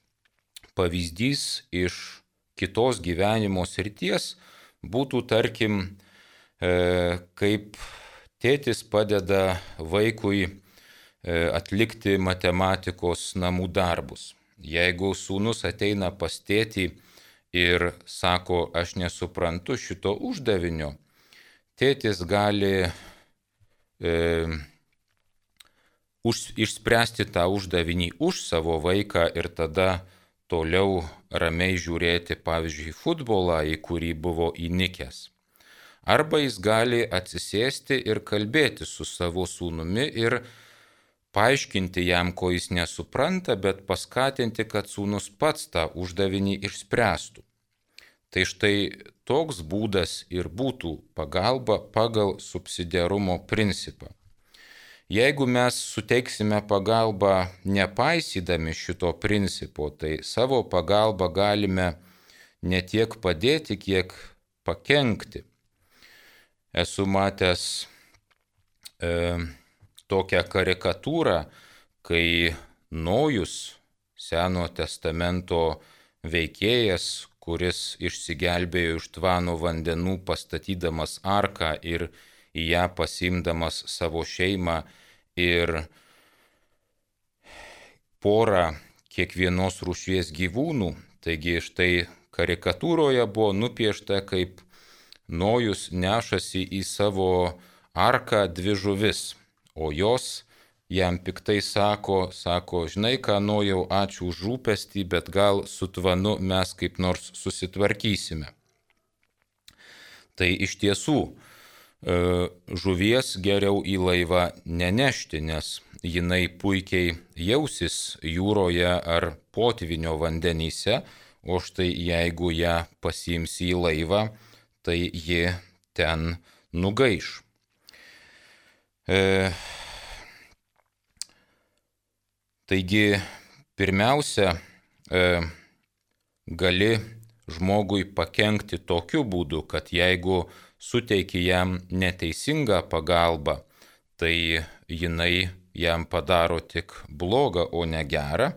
pavyzdys iš kitos gyvenimo srities būtų, tarkim, e, kaip tėtis padeda vaikui e, atlikti matematikos namų darbus. Jeigu sūnus ateina pas tėtį ir sako, aš nesuprantu šito uždavinio, tėtis gali e, už, išspręsti tą uždavinį už savo vaiką ir tada toliau ramiai žiūrėti, pavyzdžiui, futbolą, į kurį buvo įnikęs. Arba jis gali atsisėsti ir kalbėti su savo sūnumi ir paaiškinti jam, ko jis nesupranta, bet paskatinti, kad sūnus pats tą uždavinį išspręstų. Tai štai toks būdas ir būtų pagalba pagal subsidiarumo principą. Jeigu mes suteiksime pagalbą nepaisydami šito principo, tai savo pagalbą galime ne tiek padėti, kiek pakenkti. Esu matęs e, tokią karikatūrą, kai Nojus, Senojo testamento veikėjas, kuris išsigelbėjo iš tvano vandenų pastatydamas arką ir į ją pasiimdamas savo šeimą ir porą kiekvienos rūšies gyvūnų. Taigi štai karikatūroje buvo nupiešta, kaip Nojus nešasi į savo arką dvi žuvis, o jos jam piktai sako, sako, žinai ką, Nojau, ačiū už rūpestį, bet gal su tvanu mes kaip nors susitvarkysime. Tai iš tiesų, žuvies geriau į laivą nenešti, nes jinai puikiai jausis jūroje ar potvinio vandenyse, o štai jeigu ją pasiims į laivą, tai ji ten nugaiš. E, taigi, pirmiausia, e, gali žmogui pakenkti tokiu būdu, kad jeigu suteiki jam neteisingą pagalbą, tai jinai jam padaro tik blogą, o ne gerą.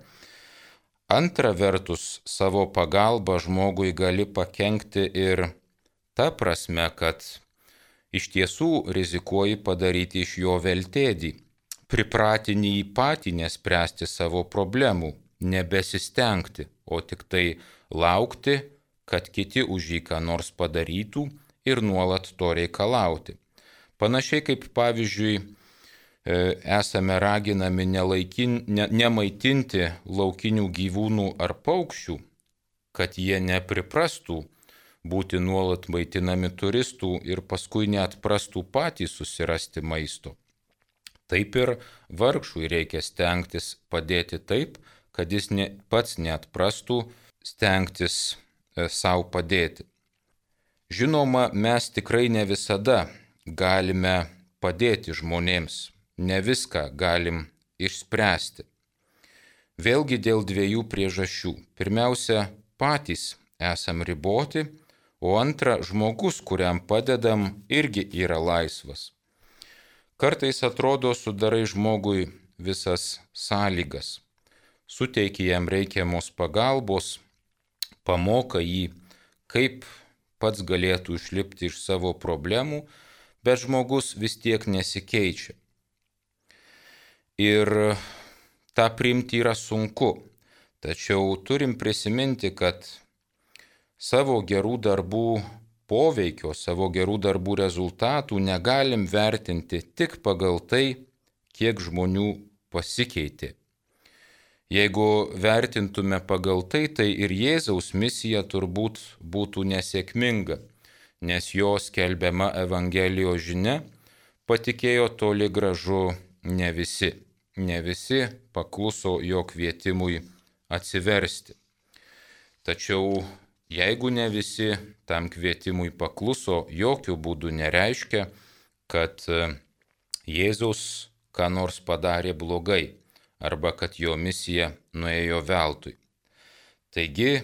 Antra vertus, savo pagalbą žmogui gali pakenkti ir ta prasme, kad iš tiesų rizikuoji padaryti iš jo veltėdį, pripratinį jį patį nespręsti savo problemų, nebesistengti, o tik tai laukti, kad kiti už jį ką nors padarytų, ir nuolat to reikalauti. Panašiai kaip, pavyzdžiui, esame raginami nelaikin, ne, nemaitinti laukinių gyvūnų ar paukščių, kad jie nepriprastų būti nuolat maitinami turistų ir paskui neatprastų patys susirasti maisto. Taip ir vargšui reikia stengtis padėti taip, kad jis ne, pats neatprastų stengtis e, savo padėti. Žinoma, mes tikrai ne visada galime padėti žmonėms, ne viską galim išspręsti. Vėlgi dėl dviejų priežasčių. Pirmiausia, patys esam riboti, o antra, žmogus, kuriam padedam, irgi yra laisvas. Kartais atrodo, sudarai žmogui visas sąlygas, suteiki jam reikiamos pagalbos, pamoka jį, kaip pats galėtų išlipti iš savo problemų, bet žmogus vis tiek nesikeičia. Ir tą priimti yra sunku, tačiau turim prisiminti, kad savo gerų darbų poveikio, savo gerų darbų rezultatų negalim vertinti tik pagal tai, kiek žmonių pasikeitė. Jeigu vertintume pagal tai, tai ir Jėzaus misija turbūt būtų nesėkminga, nes jo skelbiama Evangelijos žinia patikėjo toli gražu ne visi. Ne visi pakluso jo kvietimui atsiversti. Tačiau jeigu ne visi tam kvietimui pakluso, jokių būdų nereiškia, kad Jėzaus ką nors padarė blogai, arba kad jo misija nuėjo veltui. Taigi,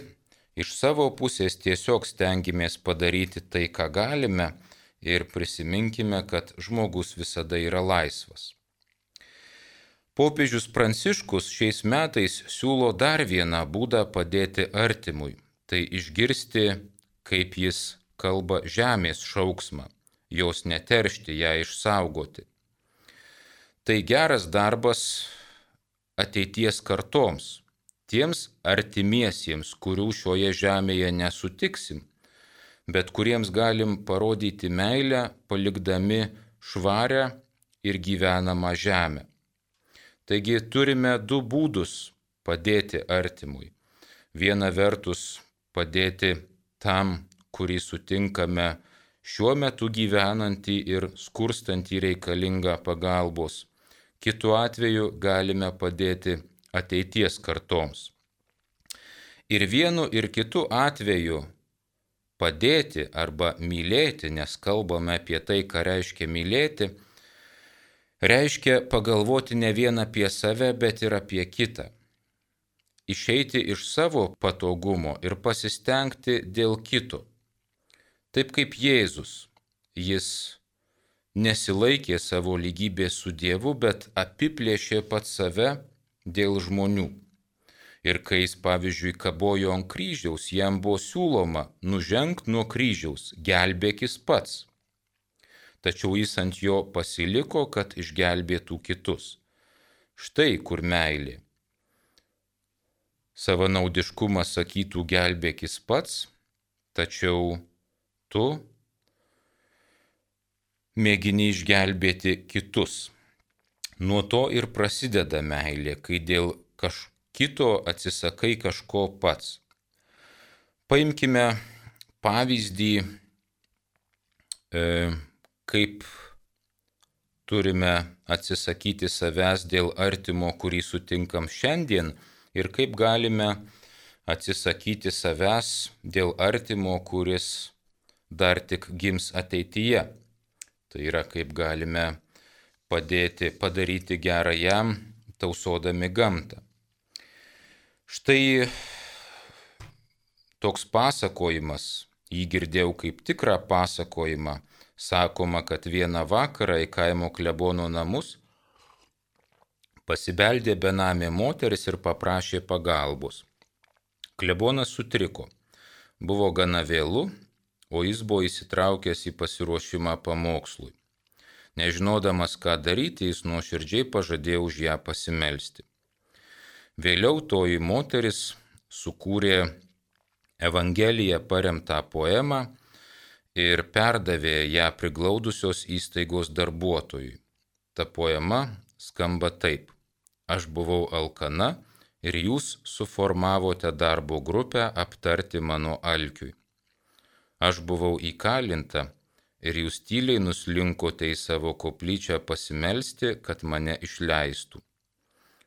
iš savo pusės tiesiog stengimės padaryti tai, ką galime, ir prisiminkime, kad žmogus visada yra laisvas. Popiežius Pranciškus šiais metais siūlo dar vieną būdą padėti artimui, tai išgirsti, kaip jis kalba žemės šauksmą, jos neteršti, ją išsaugoti. Tai geras darbas ateities kartoms, tiems artimiesiems, kurių šioje žemėje nesutiksim, bet kuriems galim parodyti meilę, palikdami švarę ir gyvenamą žemę. Taigi turime du būdus padėti artimui. Viena vertus padėti tam, kurį sutinkame šiuo metu gyvenantį ir skurstantį reikalingą pagalbos. Kitu atveju galime padėti ateities kartoms. Ir vienu ir kitu atveju padėti arba mylėti, nes kalbame apie tai, ką reiškia mylėti, reiškia pagalvoti ne vien apie save, bet ir apie kitą. Išeiti iš savo patogumo ir pasistengti dėl kito. Taip kaip Jėzus, jis nesilaikė savo lygybės su Dievu, bet apiplėšė pats save dėl žmonių. Ir kai jis, pavyzdžiui, kabojo ant kryžiaus, jam buvo siūloma nužengt nuo kryžiaus, gelbėkis pats. Tačiau jis ant jo pasiliko, kad išgelbėtų kitus. Štai kur meilė. Savanaudiškumas sakytų gelbėkis pats, tačiau tu mėgini išgelbėti kitus. Nuo to ir prasideda meilė, kai dėl kažko kito atsisakai kažko pats. Paimkime pavyzdį, e, kaip turime atsisakyti savęs dėl artimo, kurį sutinkam šiandien, ir kaip galime atsisakyti savęs dėl artimo, kuris dar tik gims ateityje. Tai yra, kaip galime padėti, padaryti gerą jam, tausodami gamtą. Štai toks pasakojimas, jį girdėjau kaip tikrą pasakojimą, sakoma, kad vieną vakarą į kaimo klebono namus pasibeldė benamė moteris ir paprašė pagalbos. Klebonas sutriko, buvo gana vėlu, o jis buvo įsitraukęs į pasiruošimą pamokslui. Nežinodamas, ką daryti, jis nuoširdžiai pažadėjo už ją pasimelsti. Vėliau toji moteris sukūrė Evangeliją paremtą poemą ir perdavė ją priglaudusios įstaigos darbuotojui. Ta poema skamba taip: Aš buvau alkana ir jūs suformavote darbo grupę aptarti mano alkiui. Aš buvau įkalinta ir jūs tyliai nuslinkote į savo koplyčią pasimelsti, kad mane išleistų.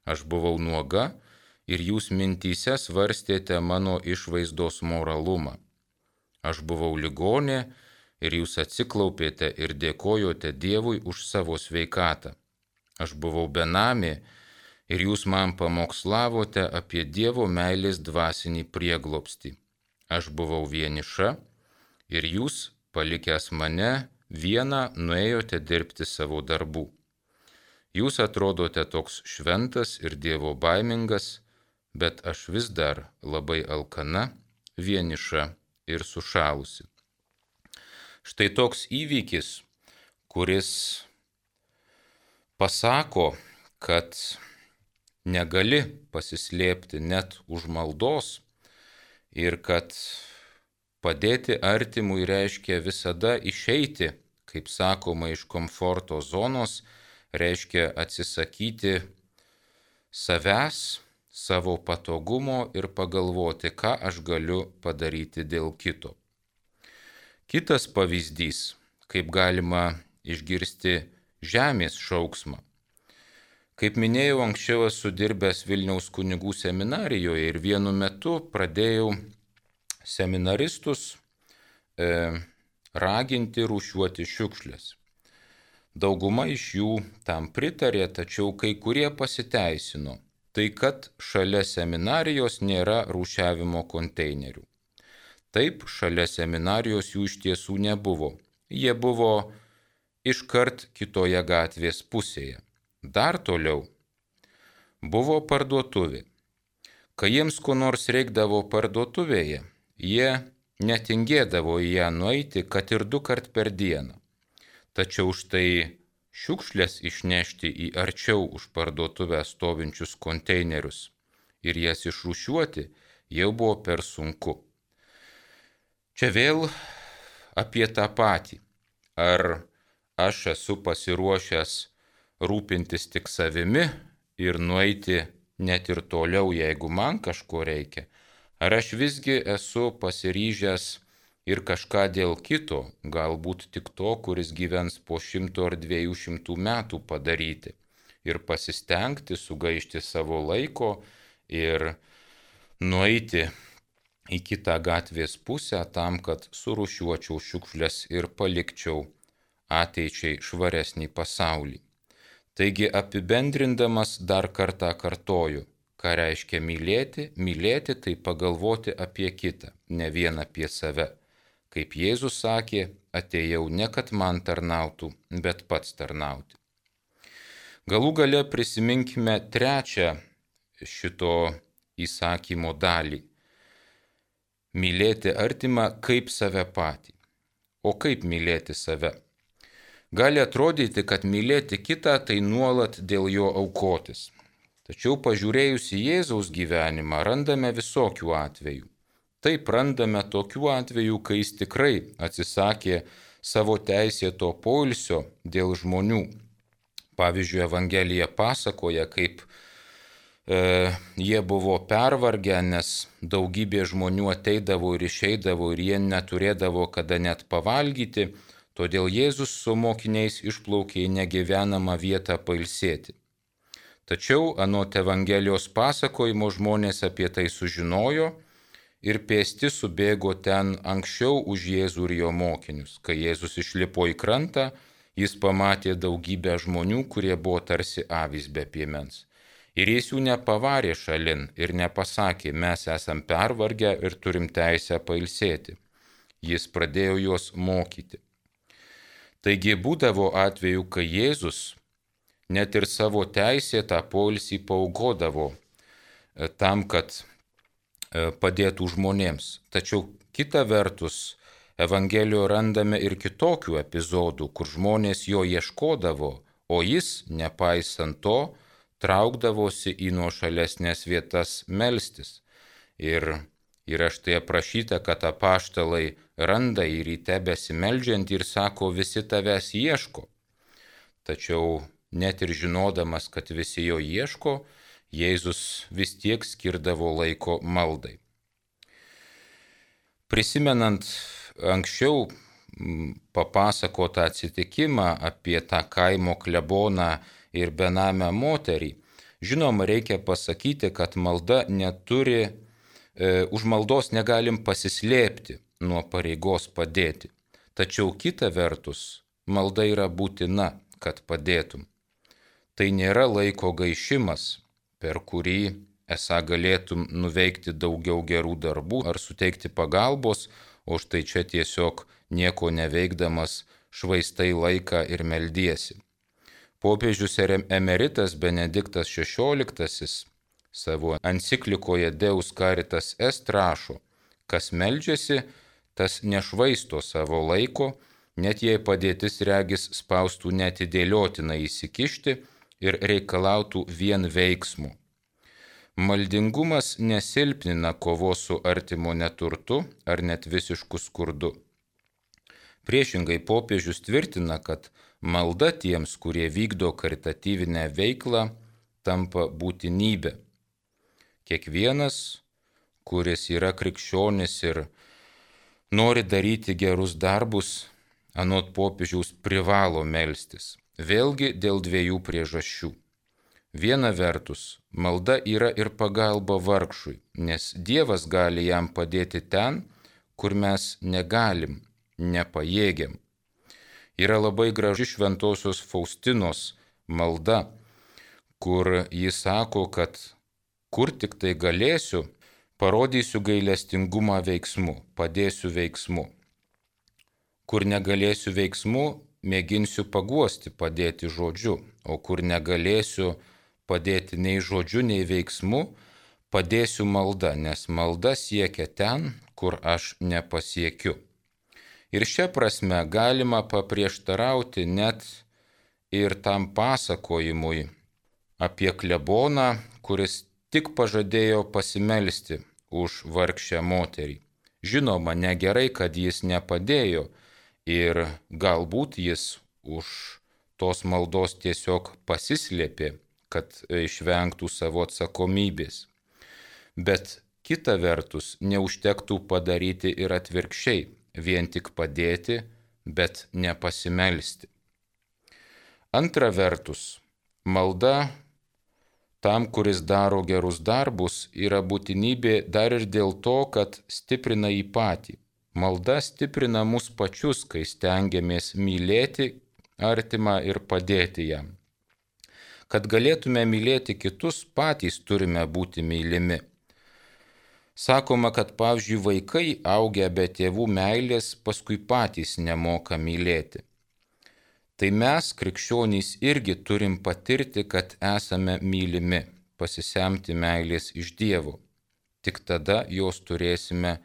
Aš buvau nuoga ir jūs mintyse svarstėte mano išvaizdos moralumą. Aš buvau ligonė ir jūs atsiklaupėte ir dėkojote Dievui už savo sveikatą. Aš buvau benamė ir jūs man pamokslavote apie Dievo meilės dvasinį prieglobstį. Aš buvau vieniša ir jūs, palikęs mane, vieną nuėjote dirbti savo darbų. Jūs atrodote toks šventas ir Dievo baimingas, bet aš vis dar labai alkana, vieniša ir sušalusi. Štai toks įvykis, kuris pasako, kad negali pasislėpti net už maldos ir kad padėti artimui reiškia visada išeiti, kaip sakoma, iš komforto zonos, reiškia atsisakyti savęs, savo patogumo ir pagalvoti, ką aš galiu padaryti dėl kito. Kitas pavyzdys, kaip galima išgirsti žemės šauksmą. Kaip minėjau, anksčiau esu dirbęs Vilniaus kunigų seminarijoje ir vienu metu pradėjau seminaristus e, raginti rūšiuoti šiukšles. Dauguma iš jų tam pritarė, tačiau kai kurie pasiteisino. Tai kad šalia seminarijos nėra rūšiavimo konteinerių. Taip, šalia seminarijos jų iš tiesų nebuvo. Jie buvo iškart kitoje gatvės pusėje. Dar toliau buvo parduotuvė. Kai jiems ko nors reikdavo parduotuvėje, jie netingėdavo į ją nueiti, kad ir du kart per dieną. Tačiau štai šiukšlės išnešti į arčiau už parduotuvę stovinčius konteinerius ir jas išrūšiuoti jau buvo per sunku. Čia vėl apie tą patį. Ar aš esu pasiruošęs rūpintis tik savimi ir nueiti net ir toliau, jeigu man kažko reikia, ar aš visgi esu pasiryžęs ir kažką dėl kito, galbūt tik to, kuris gyvens po šimto ar dviejų šimtų metų padaryti ir pasistengti sugaišti savo laiko ir nueiti į kitą gatvės pusę tam, kad surūšiuočiau šiukšles ir palikčiau ateičiai švaresnį pasaulį. Taigi apibendrindamas dar kartą kartoju, ką reiškia mylėti. Mylėti tai pagalvoti apie kitą, ne vien apie save. Kaip Jėzus sakė, atėjau ne kad man tarnautų, bet pats tarnauti. Galų gale prisiminkime trečią šito įsakymo dalį. Mylėti artimą kaip save patį. O kaip mylėti save? Gali atrodyti, kad mylėti kitą tai nuolat dėl jo aukotis. Tačiau pažiūrėjus į Jėzaus gyvenimą randame visokių atvejų. Taip randame tokių atvejų, kai jis tikrai atsisakė savo teisėto poilsio dėl žmonių. Pavyzdžiui, Evangelija pasakoja, kaip e, jie buvo pervargę, nes daugybė žmonių ateidavo ir išeidavo ir jie neturėdavo kada net pavalgyti, todėl Jėzus su mokiniais išplaukė į negyvenamą vietą pailsėti. Tačiau anot Evangelijos pasakojimo žmonės apie tai sužinojo ir pėsti subėgo ten anksčiau už Jėzų ir jo mokinius. Kai Jėzus išlipo į krantą, jis pamatė daugybę žmonių, kurie buvo tarsi avys be piemens. Ir jis jų nepavarė šalin ir nepasakė, mes esam pervargę ir turim teisę pailsėti. Jis pradėjo juos mokyti. Taigi būdavo atveju, kai Jėzus net ir savo teisėtą poilsį paaukodavo tam, kad padėtų žmonėms. Tačiau kita vertus, Evangelijoje randame ir kitokių epizodų, kur žmonės jo ieškodavo, o jis, nepaisant to, traukdavosi į nuošalesnės vietas melstis. Ir yra štai aprašyta, kad apaštalai randa jį ryte besimeldžiant ir sako, visi tavęs ieško. Tačiau net ir žinodamas, kad visi jo ieško, Jėzus vis tiek skirdavo laiko maldai. Prisimenant anksčiau papasakotą atsitikimą apie tą kaimo kleboną ir benamę moterį, žinoma, reikia pasakyti, kad malda neturi, e, už maldos negalim pasislėpti nuo pareigos padėti. Tačiau kita vertus, malda yra būtina, kad padėtum. Tai nėra laiko gaišimas, per kurį esą galėtum nuveikti daugiau gerų darbų ar suteikti pagalbos, o štai čia tiesiog nieko neveikdamas švaistai laiką ir meldiesi. Popiežius emeritas Benediktas šešioliktasis savo enciklikoje Deus Caritas Est rašo, kas meldžiasi, tas nešvaisto savo laiko, net jei padėtis regis spaustų neatidėliotinai įsikišti ir reikalautų vien veiksmų. Maldingumas nesilpnina kovos su artimo neturtu ar net visišku skurdu. Priešingai popiežius tvirtina, kad malda tiems, kurie vykdo karitatyvinę veiklą, tampa būtinybė. Kiekvienas, kuris yra krikščionis ir nori daryti gerus darbus, anot popiežiaus privalo melstis. Vėlgi dėl dviejų priežasčių. Viena vertus, malda yra ir pagalba vargšui, nes Dievas gali jam padėti ten, kur mes negalim, nepajėgiam. Yra labai graži šventosios Faustinos malda, kur jis sako, kad kur tik tai galėsiu, parodysiu gailestingumą veiksmu, padėsiu veiksmu. Kur negalėsiu veiksmu, mėginsiu paguosti, padėti žodžiu, o kur negalėsiu padėti nei žodžiu, nei veiksmu, padėsiu malda, nes malda siekia ten, kur aš nepasiekiu. Ir šia prasme galima paprieštarauti net ir tam pasakojimui apie kleboną, kuris tik pažadėjo pasimelsti už vargšę moterį. Žinoma, negerai, kad jis nepadėjo ir galbūt jis už tos maldos tiesiog pasislėpė, kad išvengtų savo atsakomybės. Bet kita vertus, neužtektų padaryti ir atvirkščiai, vien tik padėti, bet nepasimelsti. Antra vertus, malda tam, kuris daro gerus darbus, yra būtinybė dar ir dėl to, kad stiprina jį patį. Malda stiprina mus pačius, kai stengiamės mylėti artimą ir padėti jam. Kad galėtume mylėti kitus, patys turime būti mylimi. Sakoma, kad pavyzdžiui vaikai augę be tėvų meilės paskui patys nemoka mylėti. Tai mes, krikščionys, irgi turim patirti, kad esame mylimi, pasisemti meilės iš Dievo. Tik tada jos turėsime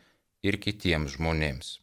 ir kitiems žmonėms.